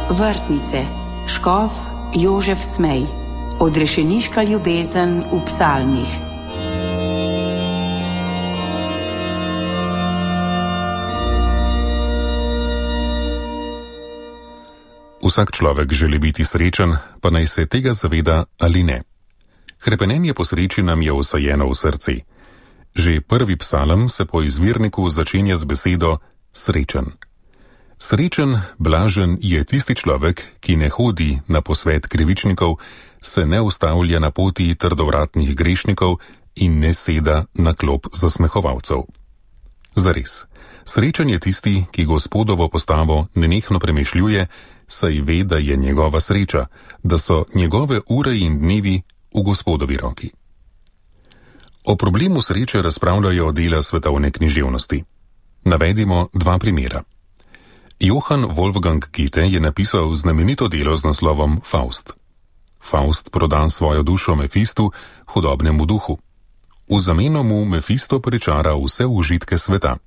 Vrtnice, škof Jožef Smej, odrešeniška ljubezen v psalmih. Vsak človek želi biti srečen, pa naj se tega zaveda ali ne. Hrepenenje po sreči nam je vsajeno v srci. Že prvi psalm se po izvirniku začenja z besedo srečen. Srečen, blažen je tisti človek, ki ne hodi na posvet krivičnikov, se ne ustavlja na poti trdovratnih grešnikov in ne seda na klop zasmehovalcev. Zares, srečen je tisti, ki Gospodovo postavo nenehno premišljuje, saj ve, da je njegova sreča, da so njegove ure in dnevi v Gospodovi roki. O problemu sreče razpravljajo dela svetovne književnosti. Navedimo dva primera. Johann Wolfgang Goethe je napisal znamenito delo z naslovom Faust. Faust proda svojo dušo Mefistu, hudobnemu duhu. V zameno mu Mefisto pričara vse užitke sveta.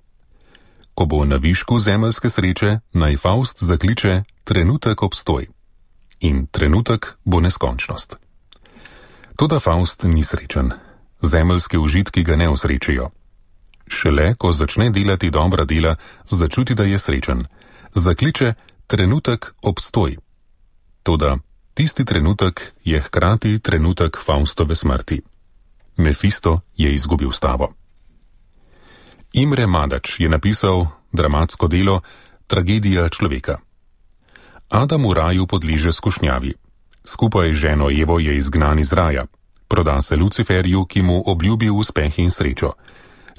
Ko bo na višku zemeljske sreče, naj Faust zakliče trenutek obstoj. In trenutek bo neskončnost. Toda Faust ni srečen. Zemeljske užitki ga ne osrečijo. Šele, ko začne delati dobra dela, začuti, da je srečen. Zakliče trenutek obstoj. Toda tisti trenutek je hkrati trenutek Faustove smrti. Mefisto je izgubil stavo. Imre Madač je napisal dramatsko delo Tragedija človeka. Adam v raju podleže skušnjavi. Skupaj z ženo Evo je izgnan iz raja. Proda se Luciferju, ki mu obljubi uspeh in srečo.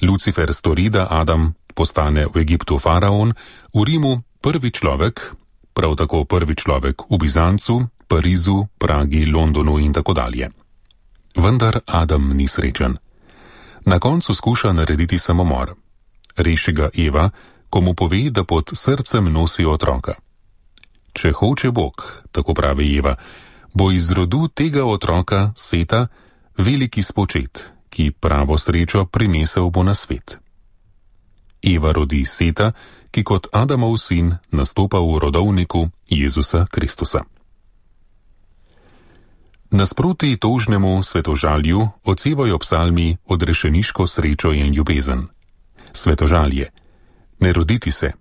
Lucifer stori, da Adam postane v Egiptu faraon, v Rimu prvi človek, prav tako prvi človek v Bizancu, Parizu, Pragi, Londonu in tako dalje. Vendar Adam ni srečen. Na koncu skuša narediti samomor. Reši ga Eva, ko mu pove, da pod srcem nosi otroka. Če hoče Bog, tako pravi Eva, bo iz rodu tega otroka, Seta, veliki spočet, ki pravo srečo prinesel bo na svet. Eva rodi Seta, ki kot Adamov sin nastopa v rodovniku Jezusa Kristusa. Nasproti tožnemu svetožalju odsevajo psalmi odrešeniško srečo in ljubezen. Svetožalje. Ne roditi se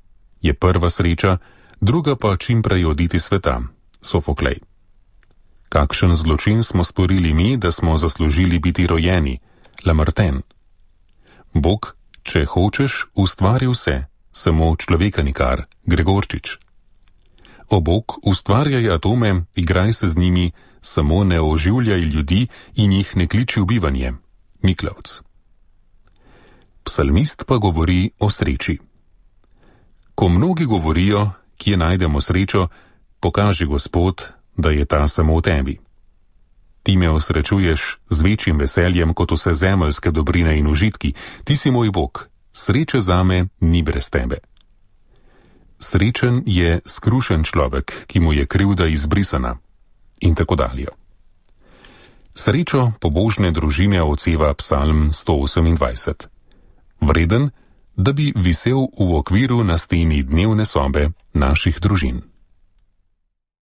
je prva sreča, druga pa čim prej oditi sveta. Sofoklej. Kakšen zločin smo storili mi, da smo zaslužili biti rojeni? Lamartine. Bog, če hočeš, ustvari vse, samo človeka nikar. Gregorčič. O Bog, ustvarjaj atome, igraj se z njimi, samo ne oživljaj ljudi in jih ne kliči v bivanje. Miklavc. Psalmist pa govori o sreči. Ko mnogi govorijo, kje najdemo srečo, pokaži Gospod, da je ta samo v tebi. Ti me osrečuješ z večjim veseljem kot vse zemeljske dobrine in užitki. Ti si moj Bog, sreče zame ni brez tebe. Srečen je skrušen človek, ki mu je krivda izbrisana. In tako dalje. Srečo pobožne družine odseva psalm 128. Vreden, da bi visel v okviru na steni dnevne sobe naših družin.